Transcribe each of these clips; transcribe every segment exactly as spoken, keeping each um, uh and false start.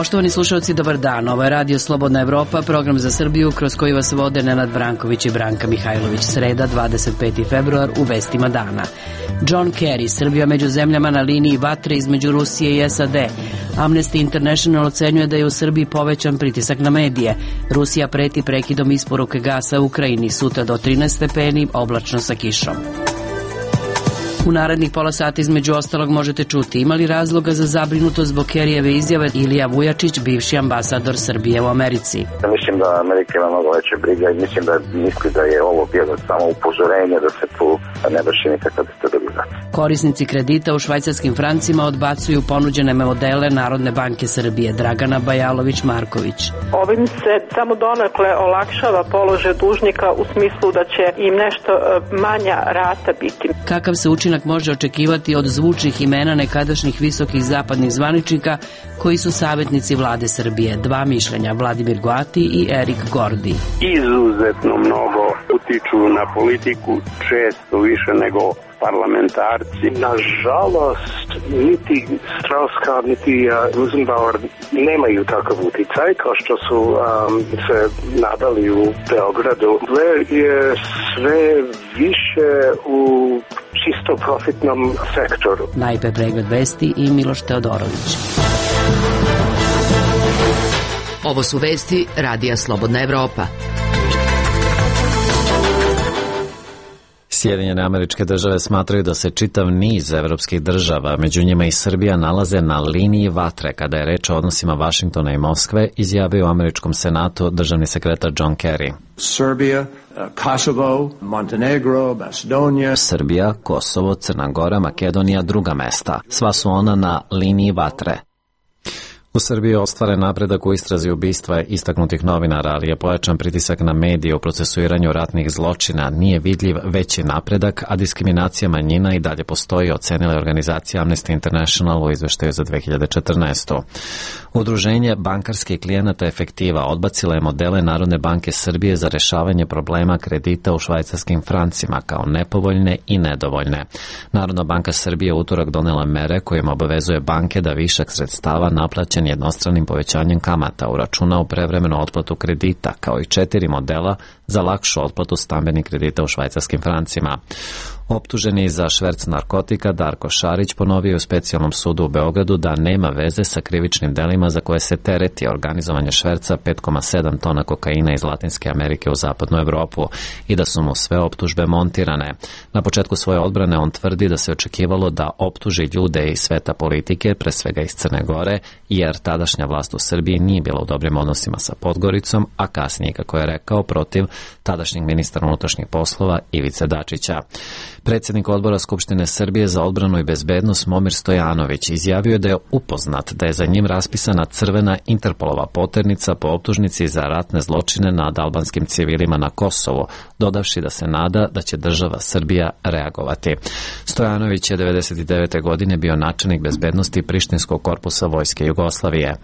Poštovani slušalci, dobar dan. Ovo je Radio Slobodna Evropa, program za Srbiju kroz koji vas vode Nenad Branković i Branka Mihajlović. Sreda, dvadeset peti februar, u vestima dana. John Kerry, Srbija među zemljama na liniji vatre između Rusije i S A D. Amnesty International ocenjuje da je u Srbiji povećan pritisak na medije. Rusija preti prekidom isporuke gasa u Ukrajini, sutra do trinaest stepeni, oblačno sa kišom. U narednih pola sata između ostalog možete čuti ima li razloga za zabrinutost zbog Kerijeve izjave. Ilija Vujačić, bivši ambasador Srbije u Americi. Mislim da Amerika ima mnogo veće briga i mislim da misli da je ovo bilo samo upozorenje da se tu ne vrši nikakva destabilizacija. Korisnici kredita u švajcarskim francima odbacuju ponuđene modele Narodne banke Srbije. Dragana Bajalović-Marković. Ovim se samo donekle olakšava položaj dužnika u smislu da će im nešto manja rata biti. Kakav se učinak može očekivati od zvučnih imena nekadašnjih visokih zapadnih zvaničnika koji su savjetnici vlade Srbije? Dva mišljenja, Vladimir Goati i Erik Gordi. Izuzetno mnogo utiču na politiku, često više nego parlamentarci. Nažalost, niti Strauss-Kahn, niti uh, Rosenbauer nemaju takav uticaj kao što su um, se nadali u Beogradu. Blair je sve više u čisto profitnom sektoru. Najpre pregled vesti i Miloš Teodorović. Ovo su vesti Radija Slobodna Evropa. Sjedinjene Američke Države smatraju da se čitav niz evropskih država, među njima i Srbija, nalaze na liniji vatre kada je reč o odnosima Vašingtona i Moskve, izjavio u Američkom senatu državni sekretar John Kerry. Srbija, Kosovo, Montenegro, Macedonia. Srbija, Kosovo, Crna Gora, Makedonija, druga mesta. Sva su ona na liniji vatre. U Srbiji je ostvaren napredak u istrazi ubistva istaknutih novinara, ali je pojačan pritisak na medije u procesuiranju ratnih zločina. Nije vidljiv veći napredak, a diskriminacija manjina i dalje postoji, ocenila je organizacija Amnesty International u izveštaju za dve hiljade četrnaestu. Udruženje bankarskih klijenata Efektiva odbacila je modele Narodne banke Srbije za rešavanje problema kredita u švajcarskim francima kao nepovoljne i nedovoljne. Narodna banka Srbije u utorak donela mere kojim obavezuje banke da višak sredstava naplaćen jednostranim povećanjem kamata uračuna u prevremenu otplatu kredita, kao i četiri modela za lakšu otplatu stambenih kredita u švajcarskim francima. Optuženi za šverc narkotika Darko Šarić ponovio u specijalnom sudu u Beogradu da nema veze sa krivičnim delima za koje se tereti organizovanje šverca pet zarez sedam tona kokaina iz Latinske Amerike u zapadnu Evropu i da su mu sve optužbe montirane. Na početku svoje odbrane on tvrdi da se očekivalo da optuži ljude iz sveta politike, pre svega iz Crne Gore, jer tadašnja vlast u Srbiji nije bila u dobrim odnosima sa Podgoricom, a kasnije, kako je rekao, protiv tadašnjeg ministra unutrašnjih poslova Ivice Dačića. Predsjednik odbora Skupštine Srbije za odbranu i bezbednost Momir Stojanović izjavio je da je upoznat da je za njim raspisana crvena Interpolova poternica po optužnici za ratne zločine nad albanskim civilima na Kosovu, dodavši da se nada da će država Srbija reagovati. Stojanović je devedeset devete godine bio načelnik bezbednosti Prištinskog korpusa Vojske Jugoslavije.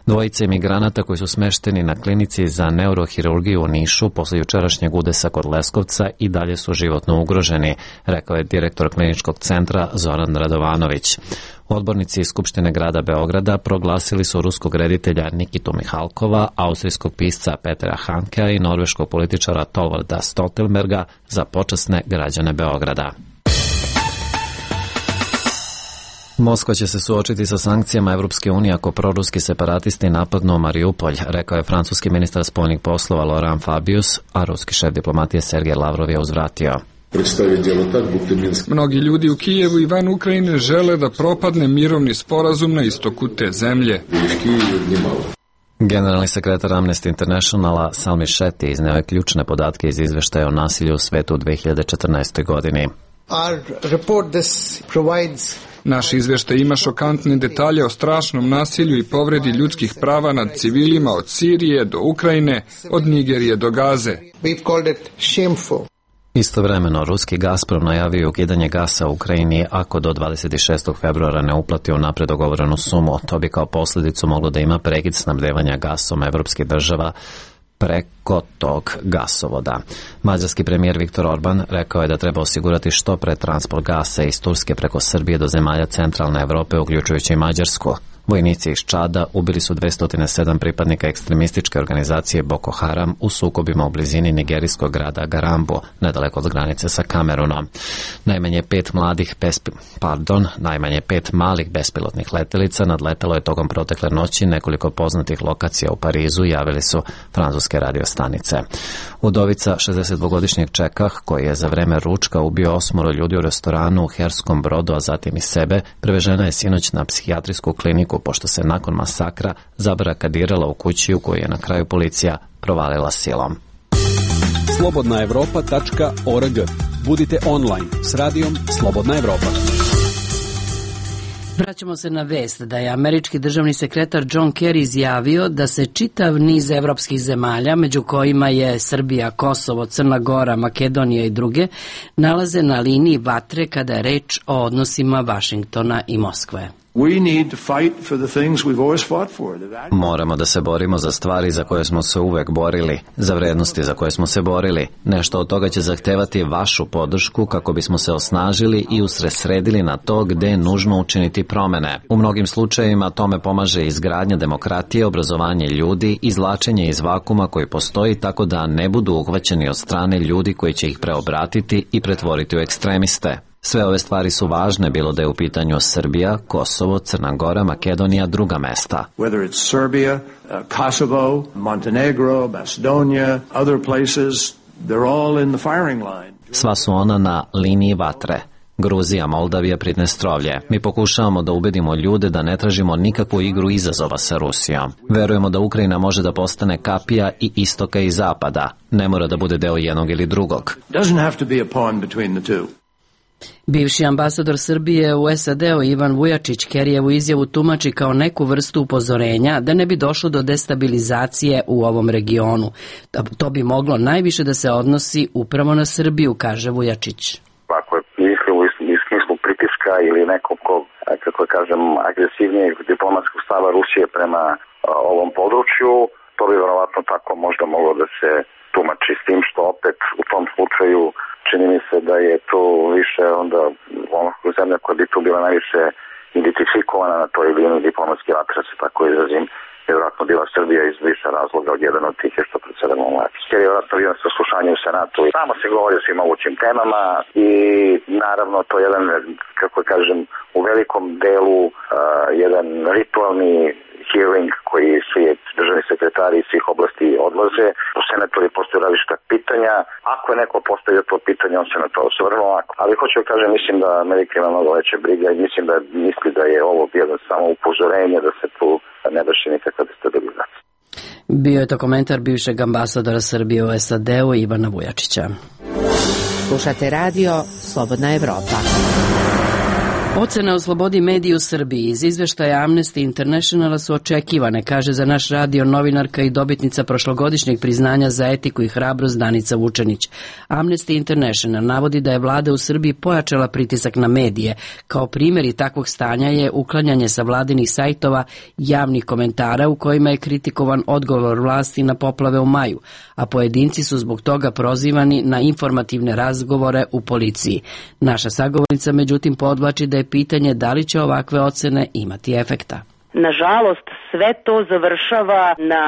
Dvojice imigranata koji su smešteni na klinici za neurohirurgiju u Nišu posle jučerašnjeg udesa kod Leskovca i dalje su životno ugroženi, rekao je direktor kliničkog centra Zoran Radovanović. Odbornici iz Skupštine grada Beograda proglasili su ruskog reditelja Nikitu Mihalkova, austrijskog pisca Petera Hankea i norveškog političara Torvalda Stoltenberga za počasne građane Beograda. Moskva će se suočiti sa sankcijama Evropske unije ako proruski separatisti napadnu Mariupolj, rekao je francuski ministar spoljnih poslova Laurent Fabius, a ruski šef diplomatije Sergej Lavrov je uzvratio. Mnogi ljudi u Kijevu i van Ukrajine žele da propadne mirovni sporazum na istoku te zemlje. Generalni sekretar Amnesty Internationala Salmi Shetty izneo je ključne podatke iz izveštaja o nasilju u svetu u dve hiljade četrnaestoj. godini. Naš izveštaj ima šokantne detalje o strašnom nasilju i povredi ljudskih prava nad civilima od Sirije do Ukrajine, od Nigerije do Gaze. Istovremeno, ruski Gazprom najavio ukidanje gasa u Ukrajini ako do dvadeset šestog februara ne uplati unapred dogovorenu sumu. To bi kao posljedicu moglo da ima prekid snabdevanja gasom evropskih država preko tog gasovoda. Mađarski premijer Viktor Orban rekao je da treba osigurati što pre transport gasa iz Turske preko Srbije do zemalja centralne Evrope, uključujući i Mađarsku. Vojnici iz Čada ubili su dvesta sedam pripadnika ekstremističke organizacije Boko Haram u sukobima u blizini nigerijskog grada Garambo, nedaleko od granice sa Kamerunom. Najmanje pet mladih bespi... Pardon, najmanje pet malih bespilotnih letelica nadletelo je tokom protekle noći nekoliko poznatih lokacija u Parizu, javili su francuske radiostanice. Udovica šezdesetdvogodišnjeg Čekah, koji je za vreme ručka ubio osmoro ljudi u restoranu u Herskom Brodu, a zatim i sebe, prevežena je sinoć na psihijatrijsku kliniku pošto se nakon masakra zabarakadirala u kući u koju je na kraju policija provalila silom. slobodna evropa tačka org. Budite online s radijom Slobodna Evropa. Vraćamo se na vest da je američki državni sekretar John Kerry izjavio da se čitav niz evropskih zemalja, među kojima je Srbija, Kosovo, Crna Gora, Makedonija i druge, nalaze na liniji vatre kada je reč o odnosima Vašingtona i Moskve. Moramo da se borimo za stvari za koje smo se uvek borili, za vrednosti za koje smo se borili. Nešto od toga će zahtevati vašu podršku kako bismo se osnažili i usredsredili na to gde je nužno učiniti promene. U mnogim slučajevima tome pomaže izgradnja demokratije, obrazovanje ljudi, izvlačenje iz vakuma koji postoji tako da ne budu uhvaćeni od strane ljudi koji će ih preobratiti i pretvoriti u ekstremiste. Sve ove stvari su važne, bilo da je u pitanju Srbija, Kosovo, Crna Gora, Makedonija, druga mesta. Whether it's Serbia, uh, Kosovo, Montenegro, Macedonia, other places, they're all in the firing line. Sva su ona na liniji vatre. Gruzija, Moldavija, Pridnestrovlje. Mi pokušavamo da ubedimo ljude da ne tražimo nikakvu igru izazova sa Rusijom. Verujemo da Ukrajina može da postane kapija i istoka i zapada. Ne mora da bude deo jednog ili drugog. Doesn't have to be a pawn between the two. Bivši ambasador Srbije u S A D-u Ivan Vujačić Kerijevu izjavu tumači kao neku vrstu upozorenja da ne bi došlo do destabilizacije u ovom regionu. To bi moglo najviše da se odnosi upravo na Srbiju, kaže Vujačić. Ako je mislio u smislu pritiska ili nekog, kako kažem, agresivnijeg diplomatskog stava Rusije prema ovom području, to bi verovatno tako možda moglo da se tumači, s tim što opet u tom slučaju čini mi se da je to više onda ono zemlja koja bi tu bila najviše identifikovana na toj liniji diplomatski vatra, se tako izrazim, je vjerojatno bila Srbija iz više razloga. Od jedan od tih je što predsedamo mlači. Jer je vjerojatno bio sa slušanjem u Senatu i tamo se govori o svim mogućim temama i naravno to je jedan, kako kažem, u velikom delu uh, jedan ritualni hearing koji svi državni sekretari iz svih oblasti odlaze. U senatori postoje različita pitanja. Ako je neko postavio to pitanje, on se na to osvrnuo. Ali hoću da kažem, mislim da Amerika ima mnogo veće brige i mislim da misli da je ovo jedno samo upozorenje da se tu ne vrši nikakva destabilizacija. Bio je to komentar bivšeg ambasadora Srbije u S A D-u Ivana Vujačića. Slušate radio Slobodna Evropa. Ocene o slobodi medija u Srbiji iz izveštaja Amnesty Internationala su očekivane, kaže za naš radio novinarka i dobitnica prošlogodišnjeg priznanja za etiku i hrabrost Danica Vučenić. Amnesty International navodi da je vlada u Srbiji pojačala pritisak na medije. Kao primjeri takvog stanja je uklanjanje sa vladinih sajtova javnih komentara u kojima je kritikovan odgovor vlasti na poplave u maju, a pojedinci su zbog toga prozivani na informativne razgovore u policiji. Naša sagovornica međutim podvlači da je pitanje da li će ovakve ocene imati efekta. Nažalost, sve to završava na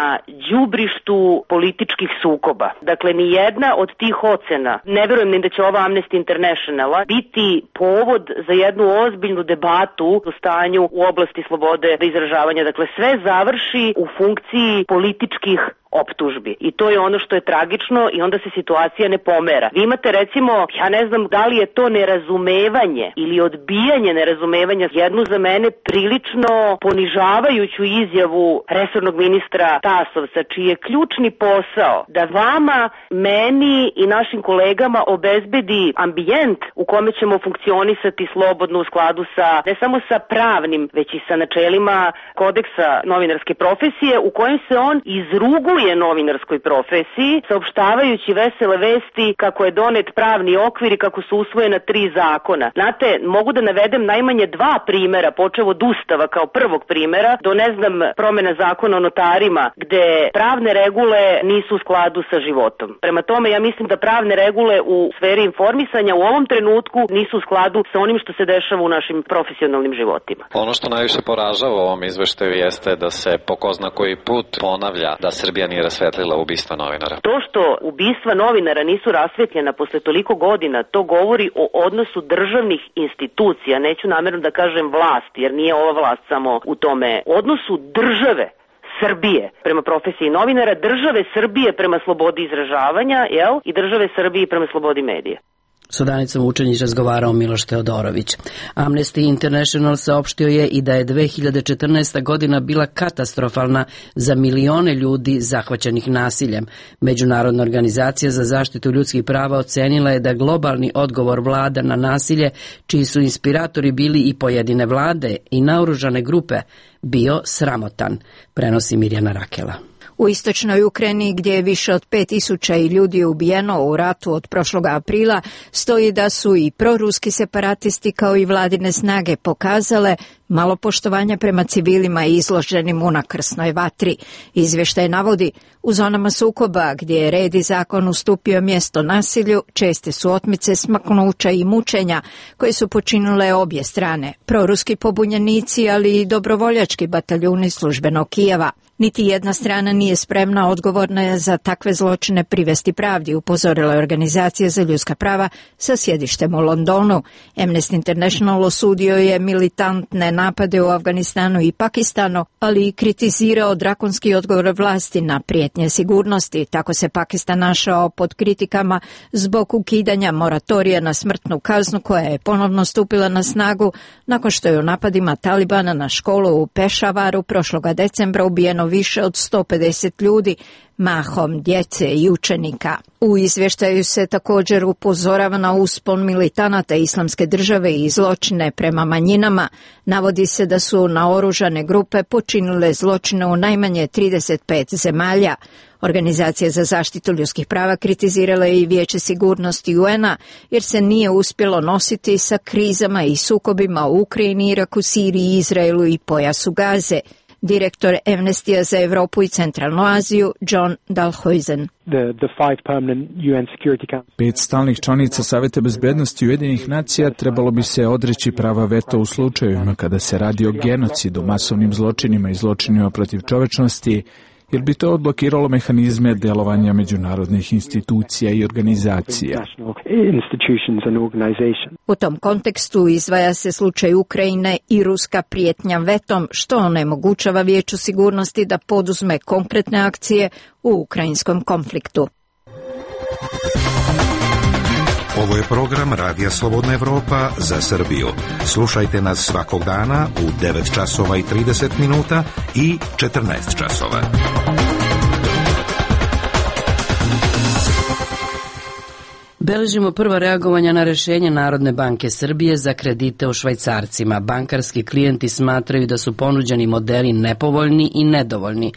đubrištu političkih sukoba. Dakle, ni jedna od tih ocena, ne verujem ni da će ova Amnesty Internationala biti povod za jednu ozbiljnu debatu o stanju u oblasti slobode izražavanja. Dakle, sve završi u funkciji političkih optužbi. I to je ono što je tragično i onda se situacija ne pomera. Vi imate recimo, ja ne znam da li je to nerazumevanje ili odbijanje nerazumevanja, jednu za mene prilično ponižavajuću izjavu resornog ministra Tasovca, čiji je ključni posao da vama, meni i našim kolegama obezbedi ambijent u kome ćemo funkcionisati slobodno u skladu sa, ne samo sa pravnim, već i sa načelima kodeksa novinarske profesije, u kojem se on izruguje miluje novinarskoj profesiji, saopštavajući vesele vesti kako je donet pravni okvir i kako su usvojena tri zakona. Znate, mogu da navedem najmanje dva primera, počev od Ustava kao prvog primera, do ne znam promena zakona o notarima, gde pravne regule nisu u skladu sa životom. Prema tome, ja mislim da pravne regule u sferi informisanja u ovom trenutku nisu u skladu sa onim što se dešava u našim profesionalnim životima. Ono što najviše poražava u ovom izveštaju jeste da se po ko zna koji put ponavlja da Srbija nije rasvetlila ubistva novinara. To što ubistva novinara nisu rasvetljena posle toliko godina, to govori o odnosu državnih institucija, neću namerno da kažem vlast, jer nije ova vlast samo u tome, odnosu države Srbije prema profesiji novinara, države Srbije prema slobodi izražavanja, jel? I države Srbije prema slobodi medija. S Danicom Vučenić razgovarao Miloš Teodorović. Amnesty International saopštio je i da je dve hiljade četrnaesta godina bila katastrofalna za milione ljudi zahvaćenih nasiljem. Međunarodna organizacija za zaštitu ljudskih prava ocenila je da globalni odgovor vlada na nasilje, čiji su inspiratori bili i pojedine vlade i naoružane grupe, bio sramotan, prenosi Mirjana Rakela. U istočnoj Ukrajini, gdje je više od pet tisuća ljudi ubijeno u ratu od prošlog aprila, stoji da su i proruski separatisti kao i vladine snage pokazale malo poštovanja prema civilima izloženim unakrsnoj vatri. Izvještaj navodi, u zonama sukoba gdje je red i zakon ustupio mjesto nasilju, česte su otmice, smaknuća i mučenja koje su počinile obje strane, proruski pobunjenici, ali i dobrovoljački bataljuni službenog Kijeva. Niti jedna strana nije spremna odgovorna za takve zločine privesti pravdi, upozorila je organizacija za ljudska prava sa sjedištem u Londonu. Amnesty International osudio je militantne napade u Afganistanu i Pakistanu, ali i kritizirao drakonski odgovor vlasti na prijetnje sigurnosti. Tako se Pakistan našao pod kritikama zbog ukidanja moratorija na smrtnu kaznu koja je ponovno stupila na snagu nakon što je u napadima Talibana na školu u Pešavaru prošloga decembra ubijeno više od sto pedeset ljudi, mahom djece i učenika. U izvještaju se također upozorava na uspon militanata Islamske države i zločine prema manjinama. Navodi se da su naoružane grupe počinile zločine u najmanje trideset pet zemalja. Organizacija za zaštitu ljudskih prava kritizirala je i Vijeće sigurnosti U N-a jer se nije uspjelo nositi sa krizama i sukobima u Ukrajini, Iraku, Siriji, Izraelu i pojasu Gaze. Direktor Amnestija za Europu i Centralnu Aziju, John Dalhuizen. Pet stalnih članica Saveta bezbednosti Ujedinjenih nacija trebalo bi se odreći prava veto u slučajevima kada se radi o genocidu, masovnim zločinima i zločinima protiv čovečnosti, jer bi to odblokiralo mehanizme delovanja međunarodnih institucija i organizacija. U tom kontekstu izdvaja se slučaj Ukrajine i ruska prijetnja vetom, što onemogućava Vijeću sigurnosti da poduzme konkretne akcije u ukrajinskom konfliktu. Ovo je program Radija Slobodna Evropa za Srbiju. Slušajte nas svakog dana u devet časova i trideset minuta i četrnaest časova. Beležimo prva reagovanja na rešenje Narodne banke Srbije za kredite u švajcarcima. Bankarski klijenti smatraju da su ponuđeni modeli nepovoljni i nedovoljni.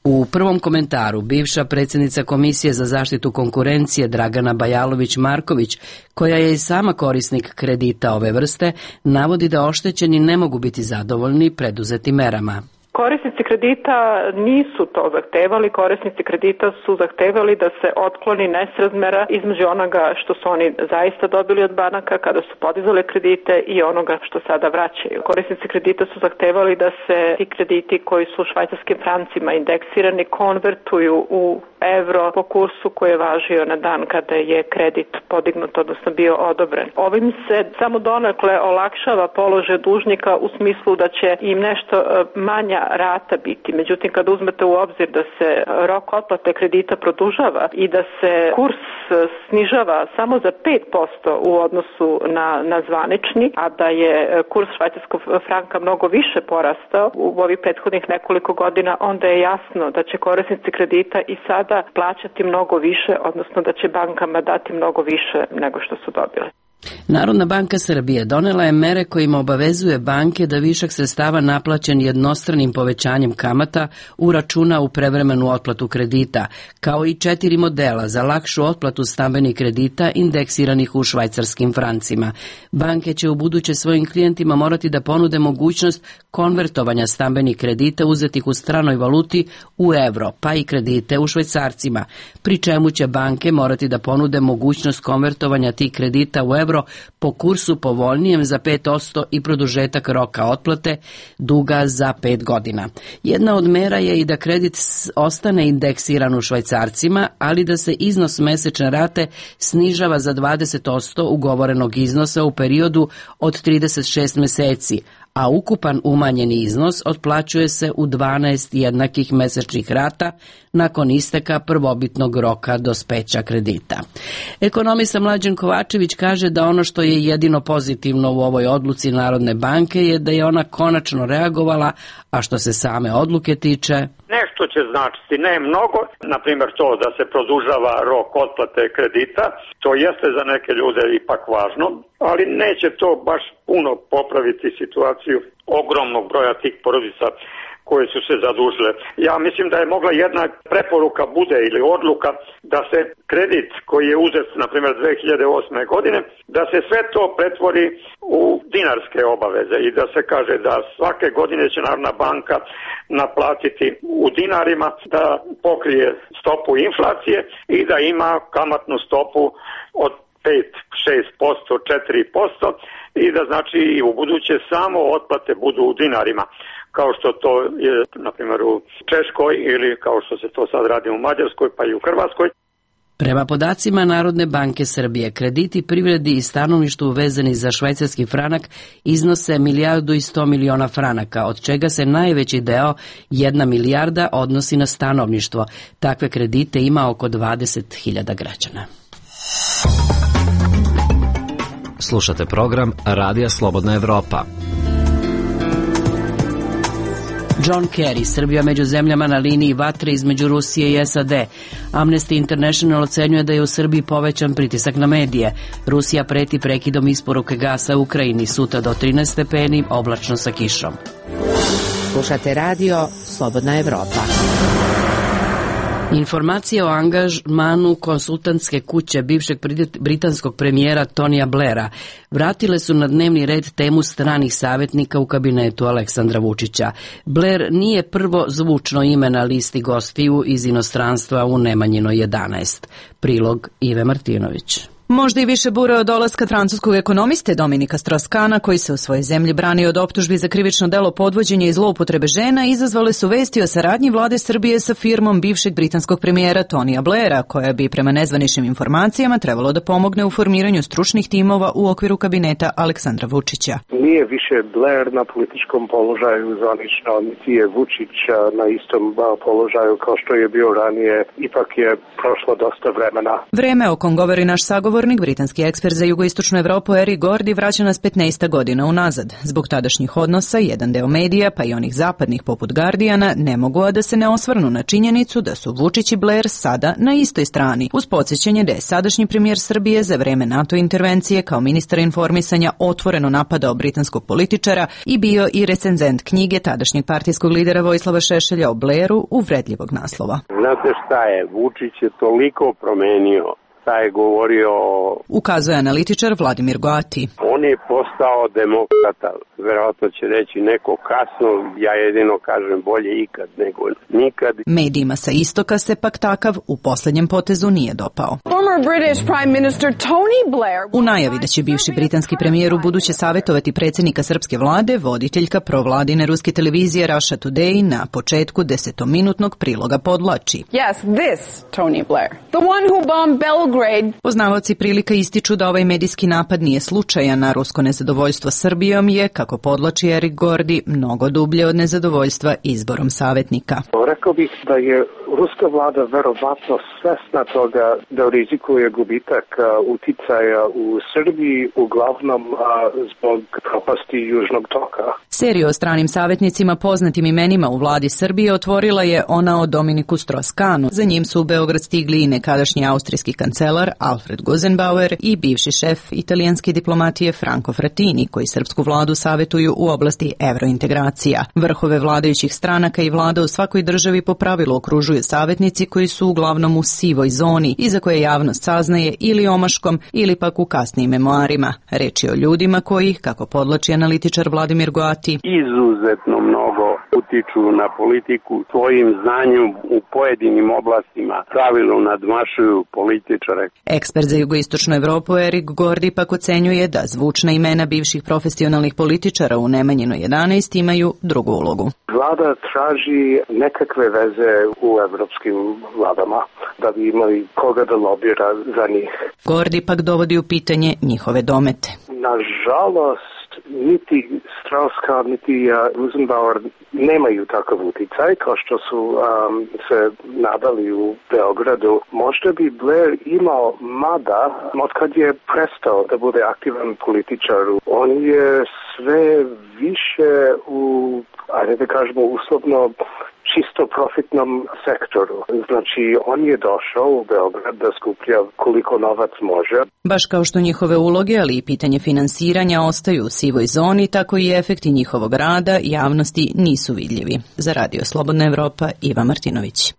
U prvom komentaru bivša predsjednica Komisije za zaštitu konkurencije Dragana Bajalović-Marković, koja je i sama korisnik kredita ove vrste, navodi da oštećeni ne mogu biti zadovoljni preduzetim merama. Korisnici kredita nisu to zahtevali, korisnici kredita su zahtevali da se otkloni nesrazmera između onoga što su oni zaista dobili od banaka kada su podizali kredite i onoga što sada vraćaju. Korisnici kredita su zahtevali da se ti krediti koji su švajcarskim francima indeksirani konvertuju u evro po kursu koji je važio na dan kada je kredit podignut, odnosno bio odobren. Ovim se samo donekle olakšava položaj dužnika u smislu da će im nešto manja rata biti. Međutim, kad uzmete u obzir da se rok otplate kredita produžava i da se kurs snižava samo za pet posto u odnosu na, na zvanični, a da je kurs švajcarskog franka mnogo više porastao u ovih prethodnih nekoliko godina, onda je jasno da će korisnici kredita i sada plaćati mnogo više, odnosno da će bankama dati mnogo više nego što su dobili. Narodna banka Srbije donela je mere kojima obavezuje banke da višak sredstava naplaćen jednostranim povećanjem kamata uračuna u prevremenu otplatu kredita, kao i četiri modela za lakšu otplatu stambenih kredita indeksiranih u švajcarskim francima. Banke će u buduće svojim klijentima morati da ponude mogućnost konvertovanja stambenih kredita uzetih u stranoj valuti u evro, pa i kredite u švajcarcima, pri čemu će banke morati da ponude mogućnost konvertovanja tih kredita u evro po kursu povoljnijem za pet posto i produžetak roka otplate duga za pet godina. Jedna od mera je i da kredit ostane indeksiran u švajcarcima, ali da se iznos mesečne rate snižava za dvadeset posto ugovorenog iznosa u periodu od trideset šest meseci, a ukupan umanjeni iznos otplaćuje se u dvanaest jednakih mesečnih rata nakon isteka prvobitnog roka dospeća kredita. Ekonomista Mlađan Kovačević kaže da ono što je jedino pozitivno u ovoj odluci Narodne banke je da je ona konačno reagovala, a što se same odluke tiče, nešto će značiti, ne mnogo, na primjer to da se produžava rok otplate kredita, to jeste za neke ljude ipak važno, ali neće to baš puno popraviti situaciju ogromnog broja tih porodica koje su se zadužile. Ja mislim da je mogla jedna preporuka bude ili odluka da se kredit koji je uzet, na primjer, dve hiljade osme. godine, da se sve to pretvori u dinarske obaveze i da se kaže da svake godine će Narodna banka naplatiti u dinarima, da pokrije stopu inflacije i da ima kamatnu stopu od pet, šest posto, četiri posto i da znači i u buduće samo otplate budu u dinarima, kao što to je na primjer u Češkoj ili kao što se to sad radi u Mađarskoj pa i u Hrvatskoj. Prema podacima Narodne banke Srbije, krediti privredi i stanovništvu vezani za švajcarski franak iznose milijardu i sto miliona franaka, od čega se najveći deo, jedna milijarda, odnosi na stanovništvo. Takve kredite ima oko dvadeset hiljada građana. Slušate program Radija Slobodna Evropa. John Kerry, Srbija među zemljama na liniji vatre između Rusije i S A D. Amnesty International ocenjuje da je u Srbiji povećan pritisak na medije. Rusija preti prekidom isporuke gasa u Ukrajini, sutra do trinaest stepeni, oblačno sa kišom. Slušate radio Slobodna Evropa. Informacije o angažmanu konsultantske kuće bivšeg britanskog premijera Tonija Blaira vratile su na dnevni red temu stranih savjetnika u kabinetu Aleksandra Vučića. Blair nije prvo zvučno ime na listi gostiju iz inostranstva u Nemanjinoj jedanaest. Prilog Ive Martinović. Možda i više bure od dolaska francuskog ekonomiste Dominika Strauss-Kahna, koji se u svojoj zemlji brani od optužbi za krivično delo podvođenja i zloupotrebe žena, izazvale su vesti o saradnji vlade Srbije sa firmom bivšeg britanskog premijera Tonija Blaira, koja bi prema nezvaničnim informacijama trebalo da pomogne u formiranju stručnih timova u okviru kabineta Aleksandra Vučića. Nije više Blair na političkom položaju zvanično, niti je Vučić na istom položaju kao što je bio ranije, ipak je prošlo dosta vremena. Vreme o kom govori naš sagovor britanski ekspert za jugoistočnu Evropu Eric Gordy vraća nas petnaest godina unazad. Zbog tadašnjih odnosa, jedan deo medija, pa i onih zapadnih poput Guardiana, ne mogu a da se ne osvrnu na činjenicu da su Vučić i Blair sada na istoj strani, uz podsjećanje da je sadašnji premijer Srbije za vreme NATO intervencije kao ministar informisanja otvoreno napadao britanskog političara i bio i recenzent knjige tadašnjeg partijskog lidera Vojislava Šešelja o Blairu uvredljivog naslova. Znate šta je, Vučić je toliko promenio, je govorio... Ukazuje analitičar Vladimir Goati. On je postao demokrata, verovatno će reći neko kasno, ja jedino kažem bolje ikad nego nikad. Medijima sa istoka se pak takav u posljednjem potezu nije dopao. U najavi da će bivši britanski premijer u buduće savjetovati predsjednika srpske vlade, voditeljka provladine ruske televizije Russia Today na početku desetominutnog priloga podlači. Yes, this Tony Blair, the one who bombed Belgrade. Poznavaoci prilika ističu da ovaj medijski napad nije slučajan, a rusko nezadovoljstvo Srbijom je, kako podlači Eric Gordy, mnogo dublje od nezadovoljstva izborom savjetnika. Rekao bih da je ruska vlada verovatno svesna toga da rizikuje gubitak uticaja u Srbiji, uglavnom zbog propasti Južnog toka. Seriju o stranim savjetnicima poznatim imenima u vladi Srbije otvorila je ona o Dominiku Strauss-Kahnu. Za njim su u Beograd stigli i nekadašnji austrijski kancelar kancelar Alfred Gusenbauer i bivši šef italijanske diplomatije Franco Frattini, koji srpsku vladu savetuju u oblasti evrointegracija. Vrhove vladajućih stranaka i vlada u svakoj državi po pravilu okružuju savjetnici koji su uglavnom u sivoj zoni i za koje javnost saznaje ili omaškom ili pak u kasnijim memoarima. Reč je o ljudima koji, kako podlači analitičar Vladimir Goati, izuzetno mnogo utiču na politiku svojim znanjem u pojedinim oblastima, pravilno nadmašuju političare. Ekspert za jugoistočnu Evropu Erik Gordi pak ocenjuje da zvučna imena bivših profesionalnih političara u Nemanjinoj jedanaest imaju drugu ulogu. Vlada traži nekakve veze u evropskim vladama da bi imali koga da lobira za njih. Gordi pak dovodi u pitanje njihove domete. Nažalost, niti Strauss-Kahn, niti Rosenbauer nemaju takav uticaj kao što su um, se nadali u Beogradu. Možda bi Blair imao, mada od kad je prestao da bude aktivan političar, on je sve više u, ajde da kažemo uslovno, čisto profitnom sektoru. Znači, on je došao u Beograd da skuplja koliko novac može. Baš kao što njihove uloge, ali i pitanje finansiranja ostaju u sivoj zoni, tako i efekti njihovog rada javnosti nisu vidljivi. Za Radio Slobodna Evropa, Iva Martinović.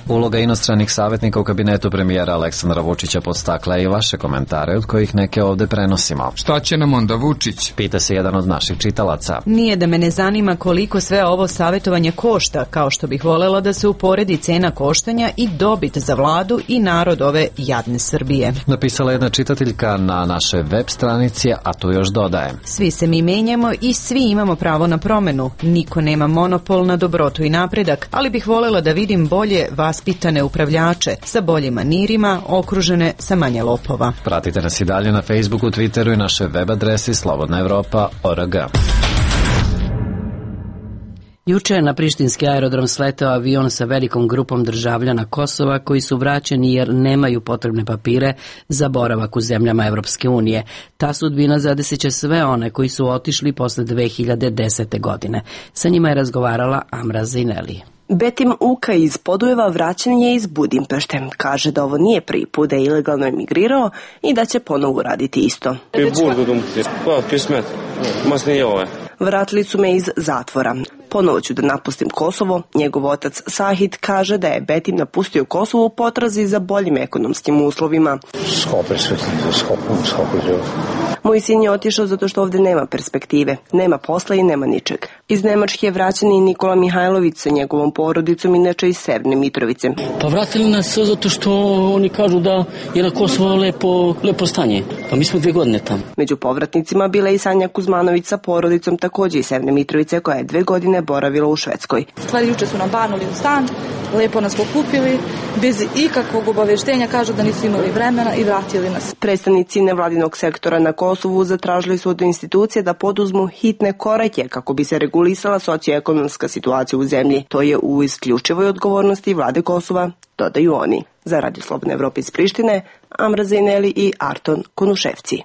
Uloga inostranih savjetnika u kabinetu premijera Aleksandra Vučića podstakla i vaše komentare, od kojih neke ovde prenosimo. Šta će nam onda Vučić? Pita se jedan od naših čitalaca. Nije da me ne zanima koliko sve ovo savjetovanje košta, kao što bih volela da se uporedi cena koštanja i dobit za vladu i narod ove jadne Srbije. Napisala jedna čitateljka na našoj web stranici, a tu još dodaje. Svi se mi menjamo i svi imamo pravo na promenu. Niko nema monopol na dobrotu i napredak, ali bih volela da vidim bolje vas pitane upravljače sa boljim manirima, okružene sa manje lopova. Pratite nas i dalje na Facebooku, Twitteru i našoj web adresi slobodna evropa tačka org. Juče je na prištinski aerodrom sletao avion sa velikom grupom državljana Kosova koji su vraćeni jer nemaju potrebne papire za boravak u zemljama Evropske unije. Ta sudbina zadeseće sve one koji su otišli posle dve hiljade desete. godine. Sa njima je razgovarala Amra Zaineli. Betim Uka iz Podujeva vraćen je iz Budimpešte. Kaže da ovo nije prvi put da je ilegalno emigrirao i da će ponovo uraditi isto. Vratili su me iz zatvora. Ponovo ću da napustim Kosovo. Njegov otac Sahid kaže da je Betim napustio Kosovo u potrazi za boljim ekonomskim uslovima. Moj sin je otišao zato što ovde nema perspektive, nema posla i nema ničeg. Iz Nemačke je vraćen i Nikola Mihajlović sa njegovom porodicom, inače iz Severne Mitrovice. Pa vratili nas zato što oni kažu da je na Kosovo lepo, lepo stanje. Pa mi smo dve godine tamo. Među povratnicima bila i Sanja Kuzmanović sa porodicom, takođe iz Severne Mitrovice, koja je dve godine boravila u Švedskoj. Stvari juče su nam banuli u stan, lepo nas pokupili, bez ikakvog obaveštenja, kažu da nisu imali vremena i vratili nas. Predstavnici nevladinog sektora na Kosovu zatražili su od institucije da poduzmu hitne korake kako bi se regulisala socioekonomska situacija u zemlji. To je u isključivoj odgovornosti vlade Kosova, dodaju oni. Za Radio Slobodne Evrope iz Prištine, Amra Zaineli i Arton Konuševci.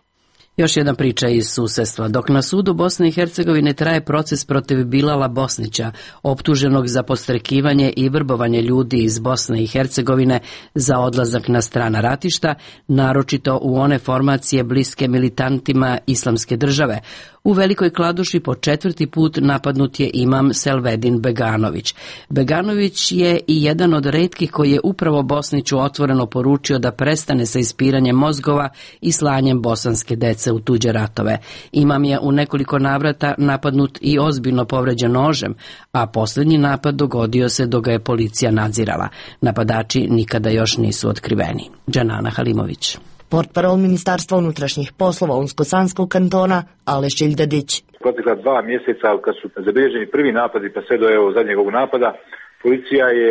Još jedna priča iz susedstva. Dok na sudu Bosne i Hercegovine traje proces protiv Bilala Bosnića, optuženog za podstrekivanje i vrbovanje ljudi iz Bosne i Hercegovine za odlazak na strana ratišta, naročito u one formacije bliske militantima Islamske države, u Velikoj Kladuši po četvrti put napadnut je imam Selvedin Beganović. Beganović je i jedan od retkih koji je upravo Bosniću otvoreno poručio da prestane sa ispiranjem mozgova i slanjem bosanske dece u tuđe ratove. Imam je u nekoliko navrata napadnut i ozbiljno povređen nožem, a posljednji napad dogodio se dok ga je policija nadzirala. Napadači nikada još nisu otkriveni. Džanana Halimović. Portparol Ministarstva unutrašnjih poslova Unsko-Sanskog kantona Aleš Ildadić. Protekla dva mjeseca kad su zabilježeni prvi napadi pa sve do evo zadnjeg ovog napada, policija je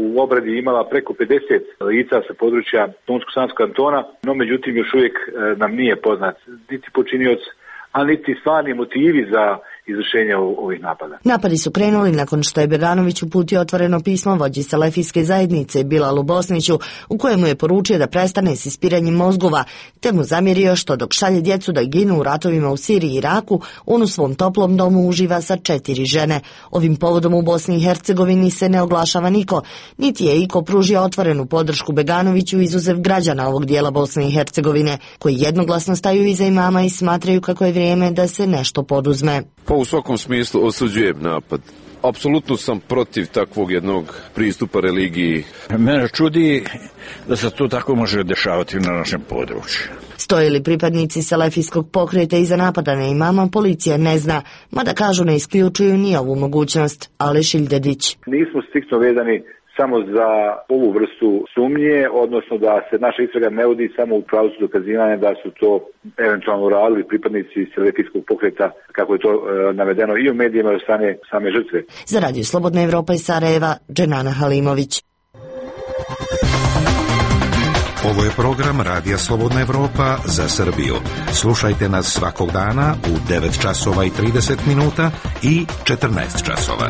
u obradi imala preko pedeset lica sa područja Unsko-Sanskog kantona, no međutim još uvijek nam nije poznat niti počinioc, a niti stvarni motivi za izvršenja ovih napada. Napadi su krenuli nakon što je Beganović uputio otvoreno pismo vođi Selefijske zajednice Bilalu Bosniću, u kojemu je poručio da prestane s ispiranjem mozgova, te mu zamjerio što dok šalje djecu da ginu u ratovima u Siriji i Iraku, on u svom toplom domu uživa sa četiri žene. Ovim povodom u Bosni i Hercegovini se ne oglašava niko, niti je iko pružio otvorenu podršku Beganoviću izuzev građana ovog dijela Bosne i Hercegovine, koji jednoglasno staju iza imama i smatraju kako je vrijeme da se nešto poduzme. Pa u svakom smislu osuđujem napad. Apsolutno sam protiv takvog jednog pristupa religiji. Mene čudi da se to tako može dešavati na našem području. Stoje li pripadnici selefijskog pokreta iza napada na imama, policija ne zna, mada kažu ne isključuju ni ovu mogućnost. Aleš Ildedić. Nismo striktno vezani samo za ovu vrstu sumnje, odnosno da se naša istraga ne vodi samo u pravcu dokazivanja da su to eventualno radili pripadnici selefijskog pokreta, kako je to e, navedeno i u medijima i od strane same žrtve. Za Radio Slobodna Evropa iz Sarajeva, Dženana Halimović. Ovo je program Radija Slobodna Evropa za Srbiju. Slušajte nas svakog dana u devet časova i trideset minuta i četrnaest časova.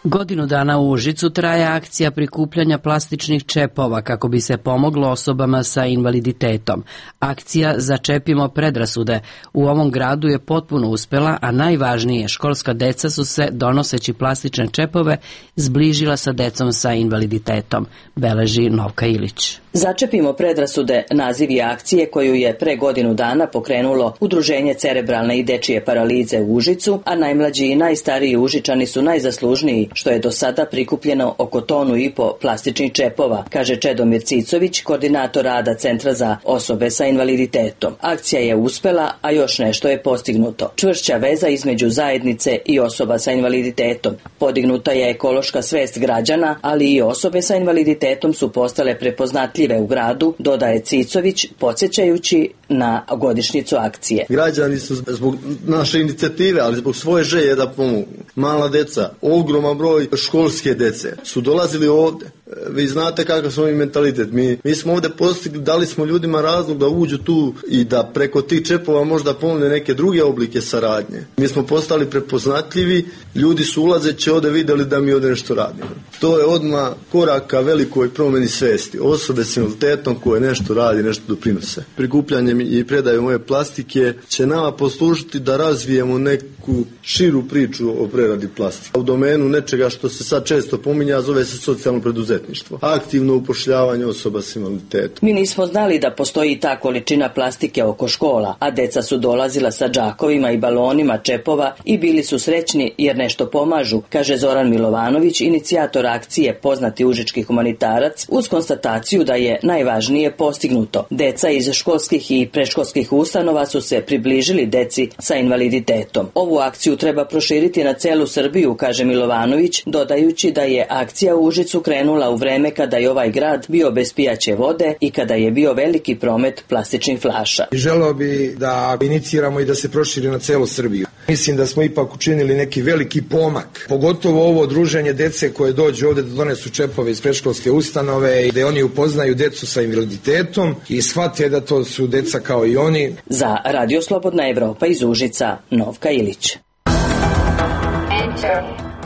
Godinu dana u Užicu traje akcija prikupljanja plastičnih čepova kako bi se pomoglo osobama sa invaliditetom. Akcija Začepimo predrasude u ovom gradu je potpuno uspela, a najvažnije, školska deca su se, donoseći plastične čepove, zbližila sa decom sa invaliditetom, beleži Novka Ilić. Začepimo predrasude naziv je akcije koju je pre godinu dana pokrenulo Udruženje cerebralne i dečije paralize u Užicu, a najmlađi i najstariji Užičani su najzaslužniji što je do sada prikupljeno oko tonu i po plastičnih čepova, kaže Čedomir Cicović, koordinator rada Centra za osobe sa invaliditetom. Akcija je uspela, a još nešto je postignuto. Čvršća veza između zajednice i osoba sa invaliditetom. Podignuta je ekološka svest građana, ali i osobe sa invaliditetom su postale prepoznatljive u gradu, dodaje Cicović, podsjećajući na godišnjicu akcije. Građani su zbog naše inicijative, ali zbog svoje želje da pomogu. Mala deca, ogroman broj školske dece su dolazili ovde. Vi znate kakav smo mi mentalitet. Mi, mi smo ovde postigli, dali smo ljudima razlog da uđu tu i da preko tih čepova možda pomogne neke druge oblike saradnje. Mi smo postali prepoznatljivi, ljudi su ulazeći ovde videli da mi ovde nešto radimo. To je odmah korak ka velikoj promjeni svesti. Osobe s invaliditetom koje nešto radi, nešto doprinose. Prikupljanjem i predajom ove plastike će nama poslužiti da razvijemo neku širu priču o preradi plastike. U domenu nečega što se sad često pominja, zove se socijalno preduzetništvo. Aktivno upošljavanje osoba s invaliditetom. Mi nismo znali da postoji ta količina plastike oko škola, a deca su dolazila sa džakovima i balonima čepova i bili su srećni jer nešto pomažu, kaže Zoran Milovanović, inicijator akcije poznati užički humanitarac, uz konstataciju da je najvažnije postignuto. Deca iz školskih i predškolskih ustanova su se približili deci sa invaliditetom. Ovu akciju treba proširiti na celu Srbiju, kaže Milovanović, dodajući da je akcija u Užicu krenula u vreme kada je ovaj grad bio bez pijaće vode i kada je bio veliki promet plastičnih flaša. Želeo bi da iniciramo i da se proširi na celu Srbiju. Mislim da smo ipak učinili neki veliki pomak, pogotovo ovo druženje dece koje dođu ovde da donesu čepove iz predškolske ustanove i da oni upoznaju decu sa invaliditetom i shvate da to su deca kao i oni. Za Radio Slobodna Evropa iz Užica, Novka Ilić.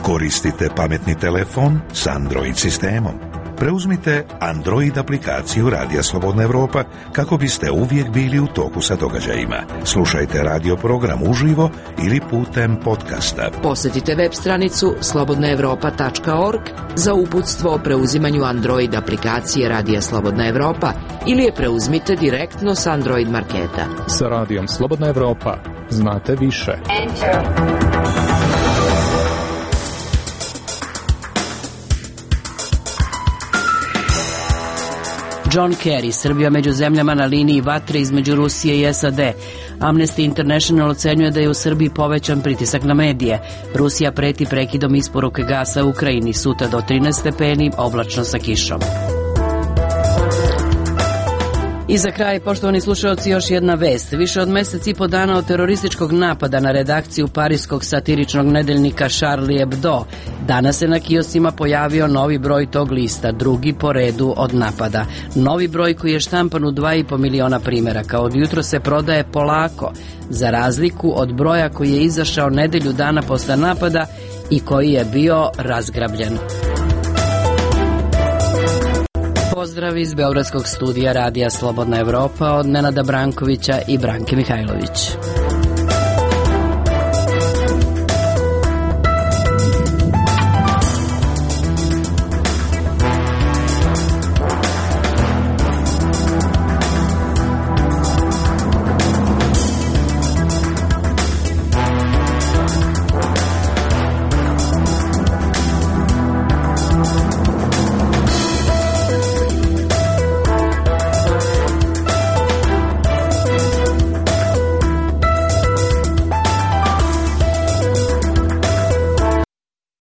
Koristite pametni telefon s Android sistemom. Preuzmite Android aplikaciju Radija Slobodna Evropa kako biste uvijek bili u toku sa događajima. Slušajte radio program uživo ili putem podcasta. Posjetite web stranicu slobodna evropa tačka org za uputstvo o preuzimanju Android aplikacije Radija Slobodna Evropa ili je preuzmite direktno s Android marketa. Sa Radijom Slobodna Evropa znate više. John Kerry, Srbija među zemljama na liniji vatre između Rusije i S A D. Amnesty International ocenjuje da je u Srbiji povećan pritisak na medije. Rusija preti prekidom isporuke gasa u Ukrajini, sutra do trinaest stepeni, oblačno sa kišom. I za kraj, poštovani slušalci, još jedna vest. Više od mesec i po dana od terorističkog napada na redakciju parijskog satiričnog nedeljnika Charlie Hebdo, danas se na kioscima pojavio novi broj tog lista, drugi po redu od napada. Novi broj koji je štampan u dva i po miliona primeraka. Od jutro se prodaje polako, za razliku od broja koji je izašao nedelju dana posle napada i koji je bio razgrabljen. Pozdrav iz Beogradskog studija Radija Slobodna Evropa od Nenada Brankovića i Branke Mihajlović.